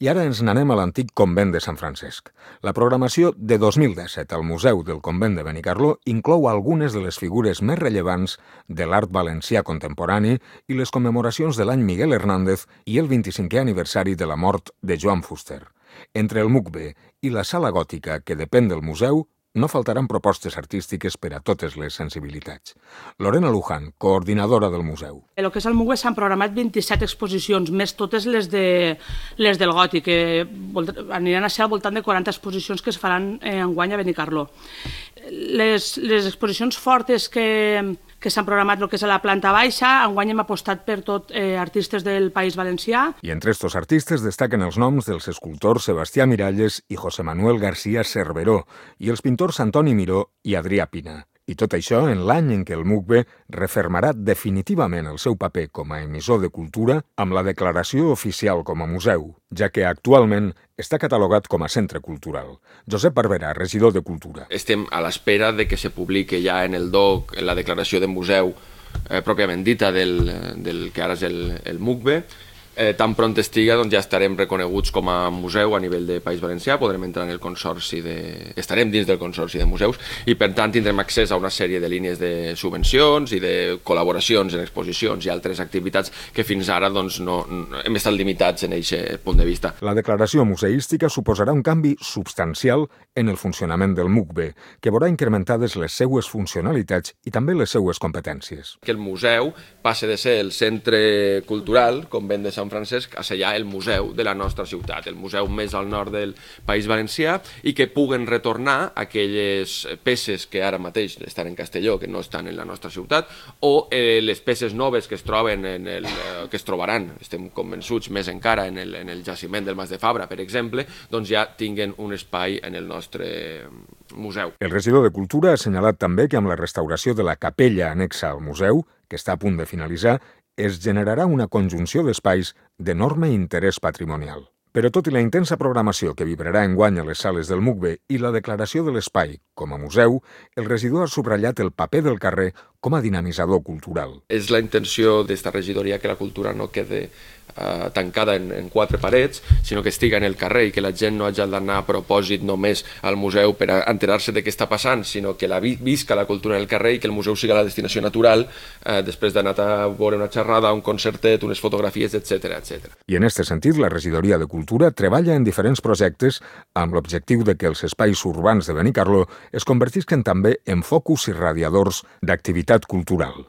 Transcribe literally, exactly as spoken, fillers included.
I ara ens n'anem a l'antic convent de Sant Francesc. La programació de dos mil disset al Museu del Convent de Benicarló inclou algunes de les figures més rellevants de l'art valencià contemporani i les commemoracions de l'any Miguel Hernández i el vint-i-cinquè aniversari de la mort de Joan Fuster. Entre el M U C B i la Sala Gòtica, que depèn del museu, no faltaran propostes artístiques per a totes les sensibilitats. Lorena Luján, coordinadora del museu. El que és el M U C B s'han programat vint-i-set exposicions, més totes les, de, les del Gòtic, que aniran a ser al voltant de quaranta exposicions que es faran enguany a Benicarló. Les, les exposicions fortes que, que s'han programat el que és a la planta baixa, enguany hem apostat per tot eh, artistes del País Valencià. I entre estos artistes destaquen els noms dels escultors Sebastià Miralles i José Manuel García Cerveró i els pintors Antoni Miró i Adrià Pina. I tot això en l'any en què el M U C B refermarà definitivament el seu paper com a emissor de cultura amb la declaració oficial com a museu, ja que actualment està catalogat com a centre cultural. Josep Barberà, regidor de Cultura. Estem a l'espera de que se publiqui ja en el D O C la declaració de museu eh, pròpiament dita del, del que ara és el, el M U C B. Eh, tan pront estiga, doncs ja estarem reconeguts com a museu a nivell de País Valencià, podrem entrar en el consorci de... estarem dins del consorci de museus i per tant tindrem accés a una sèrie de línies de subvencions i de col·laboracions en exposicions i altres activitats que fins ara doncs, no, no hem estat limitats en aquest punt de vista. La declaració museística suposarà un canvi substancial en el funcionament del M U C B, que veurà incrementades les seues funcionalitats i també les seues competències. Que el museu passe de ser el centre cultural, Convent de Sant Francesc, a ser ja el museu de la nostra ciutat, el museu més al nord del País Valencià, i que puguen retornar aquelles peces que ara mateix estan en Castelló, que no estan en la nostra ciutat, o eh, les peces noves que es troben en el, eh, que es trobaran, estem convençuts més encara en el, en el jaciment del Mas de Fabra, per exemple, doncs ja tinguen un espai en el nostre museu. El regidor de Cultura ha assenyalat també que amb la restauració de la capella anexa al museu, que està a punt de finalitzar, es generarà una conjunció d'espais d'enorme interès patrimonial. Però tot i la intensa programació que vibrarà enguany a les sales del M U C B i la declaració de l'espai com a museu, el regidor ha subratllat el paper del carrer com a dinamitzador cultural. És la intenció d'esta regidoria que la cultura no quede eh, tancada en, en quatre parets, sinó que estiga en el carrer i que la gent no hagi d'anar a propòsit només al museu per a enterar-se de què està passant, sinó que la vi visca la cultura en el carrer i que el museu siga la destinació natural eh, després d'anar a veure una xerrada, un concertet, unes fotografies, etcètera, etcètera. I en aquest sentit, la regidoria de Cultura treballa en diferents projectes amb l'objectiu de que els espais urbans de Benicarló es convertisquen també en focus irradiadors d'activitat cultural.